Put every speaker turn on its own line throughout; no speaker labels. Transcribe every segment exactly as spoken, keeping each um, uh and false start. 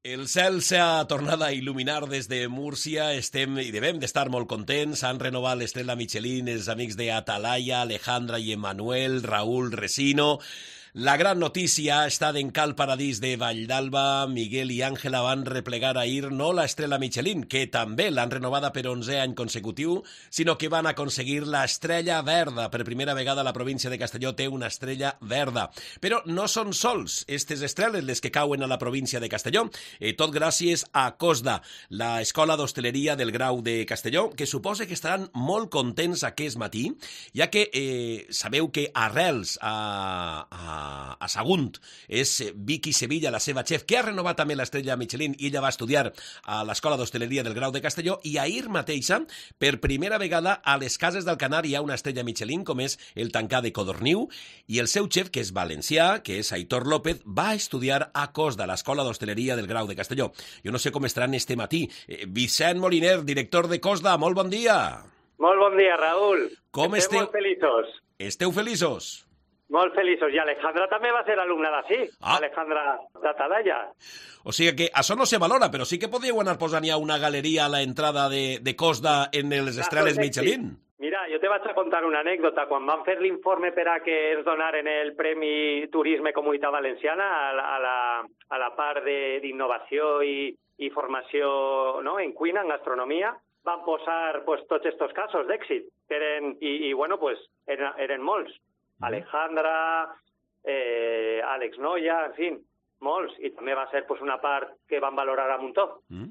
El cel s'ha tornat a il·luminar des de Múrcia, estem i devem d'estar molt contents. Han renovat l'estrella Michelin els amics d'Atalaya, Alejandra i Emanuel, Raúl Resino. La gran notícia està d'en Cal Paradís de Valldalba. Miguel i Àngela van replegar ahir no l'estrella Michelin, que també l'han renovada per onzè any consecutiu, sinó que van aconseguir l'estrella verda. Per primera vegada la província de Castelló té una estrella verda. Però no són sols aquestes estrelles les que cauen a la província de Castelló, eh, tot gràcies a COSDA, l'escola d'hostaleria del Grau de Castelló, que suposa que estaran molt contents aquest matí, ja que eh, sabeu que arrels a, a a Sagunt és Vicky Sevilla, la seva xef, que ha renovat també l'estrella Michelin, i ella va estudiar a l'Escola d'Hostaleria del Grau de Castelló, i ahir mateixa, per primera vegada, a les Cases d'Alcanar hi ha una estrella Michelin, com és el Tancà de Codorniu, i el seu xef, que és valencià, que és Aitor López, va estudiar a COSDA, a l'Escola d'Hostaleria del Grau de Castelló. Jo no sé com estaran este matí. Vicent Moliner, director de COSDA, molt bon dia.
Molt bon dia, Raül.
Com
Estem
esteu?
molt feliços.
Esteu feliços?
Molt feliços. I Alejandra també va ser alumna d'ací,
ah.
Alejandra d'Atalaya.
O sigui que això no se valora, però sí que podríeu anar posant ja una galeria a l'entrada de, de COSDA en les estrelles Michelin.
Mira, jo te vaig a contar una anècdota. Quan van fer l'informe per a que ens donaren el Premi Turisme Comunitat Valenciana a la, a la, a la part d'innovació i, i formació, no?, en cuina, en gastronomia, van posar pues, tots aquests casos d'èxit. Eren, i, I, bueno, pues, eren, eren molts. Alejandra, eh, Àlex Noia, en fi, molts. I també va ser pues, una part que van valorar a muntó. Mm.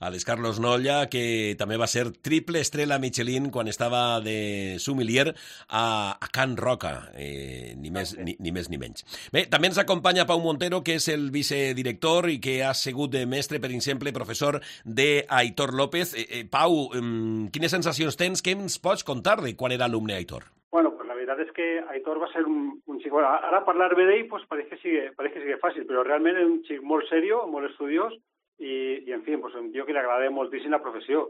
Àlex Carlos Noia, que també va ser triple estrella Michelin quan estava de sommelier a, a Can Roca, eh, ni, més, ni, ni més ni menys. Bé, també ens acompanya Pau Montero, que és el vicedirector i que ha sigut de mestre, per exemple, professor d'Aitor López. Eh, eh, Pau, eh, quines sensacions tens? Què ens pots contar de quan era alumne Aitor?
Bueno, pues la verdad es que Aitor va a ser un, un chico... Bueno, ahora hablar de él, pues parece que sigue, parece que sigue fácil, pero realmente es un chico muy serio, muy estudiós, i, i en fi, pues, jo que li agrada moltíssim la professió.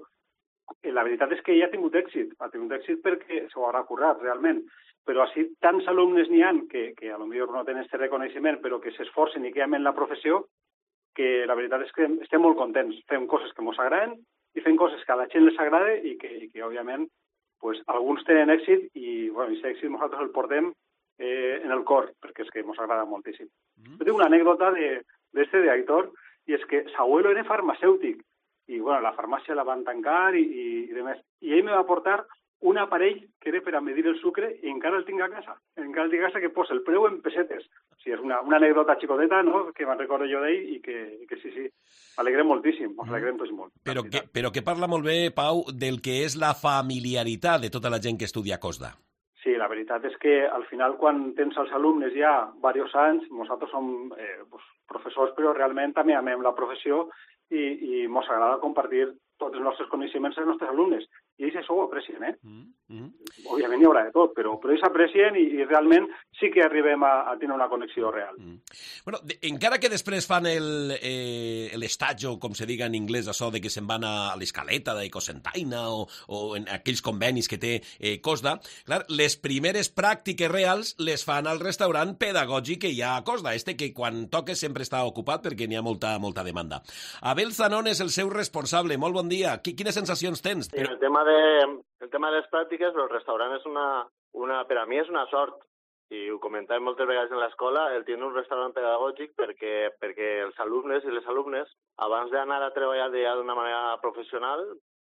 La veritat és que ella ha tingut èxit, ha tingut èxit perquè s'ho haurà currat, realment. Però així tants alumnes n'hi ha que, que a lo millor no tenen aquest reconeixement, però que s'esforcen i que amen la professió, que la veritat és que estem molt contents. Fem coses que ens agraden i fem coses que a la gent les agrada i que, i que òbviament, pues, alguns tenen èxit i, bueno, aquest èxit nosaltres el portem eh, en el cor, perquè és que ens agrada moltíssim. Mm. Jo tinc una anècdota d'este d'Aitor, i és que s'abuelo era farmacèutic, i bueno, la farmàcia la van tancar i, i, i demés. I ell me va portar un aparell que era per a medir el sucre i encara el tinc a casa. Encara el tinc a casa que posa el preu en pessetes. O sigui, és una, una anècdota xicoteta, no?, que me'n recordo jo d'ell i que, i que sí, sí, alegrem moltíssim, ens alegrem tots molt.
Però que, però que parla molt bé, Pau, del que és la familiaritat de tota la gent que estudia a COSDA.
Sí, la veritat és que al final quan tens els alumnes ja diversos anys, nosaltres som eh, pues, professors, però realment també amem la professió i, i ens agrada compartir tots els nostres coneixements als nostres alumnes. I ells això ho aprecien, eh? Mm -hmm. Òbviament hi haurà de tot, però, però ells aprecien i, i realment sí que arribem a, a tenir una connexió real. Mm.
Bueno, de, encara que després fan l'estatge, eh, com se diga en anglès, això de que se'n van a l'escaleta d'Ecosentaina o, o en aquells convenis que té eh, COSDA, clar, les primeres pràctiques reals les fan al restaurant pedagògic que hi ha a COSDA, este que quan toques sempre està ocupat perquè n'hi ha molta, molta demanda. Abel Zanón és el seu responsable. Molt bon dia. Quines sensacions tens?
Sí, el tema de, el tema de les pràctiques, però el restaurant és una, una, per a mi és una sort, i ho comentàvem moltes vegades en l'escola, el tenir un restaurant pedagògic perquè, perquè els alumnes i les alumnes, abans d'anar a treballar ja d'una manera professional,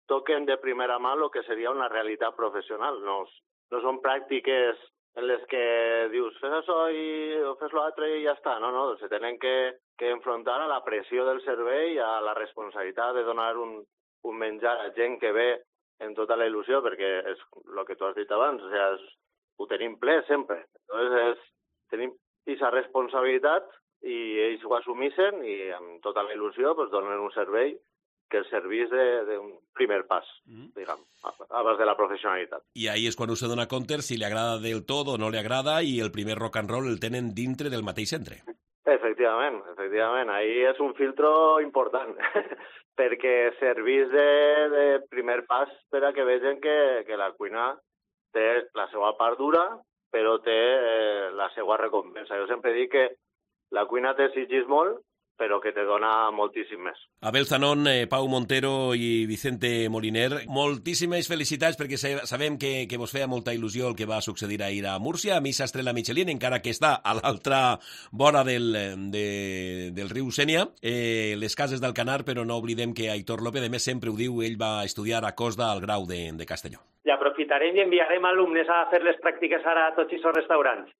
toquen de primera mà el que seria una realitat professional. No, no són pràctiques en les que dius fes això i fes l'altre i ja està. No, no, se tenen que, que enfrontar a la pressió del servei, a la responsabilitat de donar un, un menjar a gent que ve en tota la il·lusió, perquè és el que tu has dit abans, o sigui, és, ho tenim ple sempre. Entonces, és, tenim aquesta responsabilitat i ells ho assumissen i amb tota la il·lusió pues, donen un servei que el servís d'un primer pas, mm. diguem, abans de la professionalitat.
I ahí és quan us dona compte si li agrada del tot o no li agrada i el primer rock and roll el tenen dintre del mateix centre.
Efectivament, efectivament. Ahí és un filtro important, perquè servís de, de primer pas per a que vegin que, que la cuina té la seva part dura, però té eh, la seva recompensa. Jo sempre dic que la cuina t'exigís molt, però que te dona moltíssim més.
Abel Zanon, eh, Pau Montero i Vicente Moliner, moltíssimes felicitats perquè sabem que, que vos feia molta il·lusió el que va succeir ahir a Múrcia. A mi Estrella Michelin, encara que està a l'altra vora del, de, del riu Sénia, eh, les cases d'Alcanar, però no oblidem que Aitor López, a més sempre ho diu, ell va estudiar a Costa al grau de, de Castelló.
I aprofitarem i enviarem alumnes a fer les pràctiques ara a tots aquests restaurants.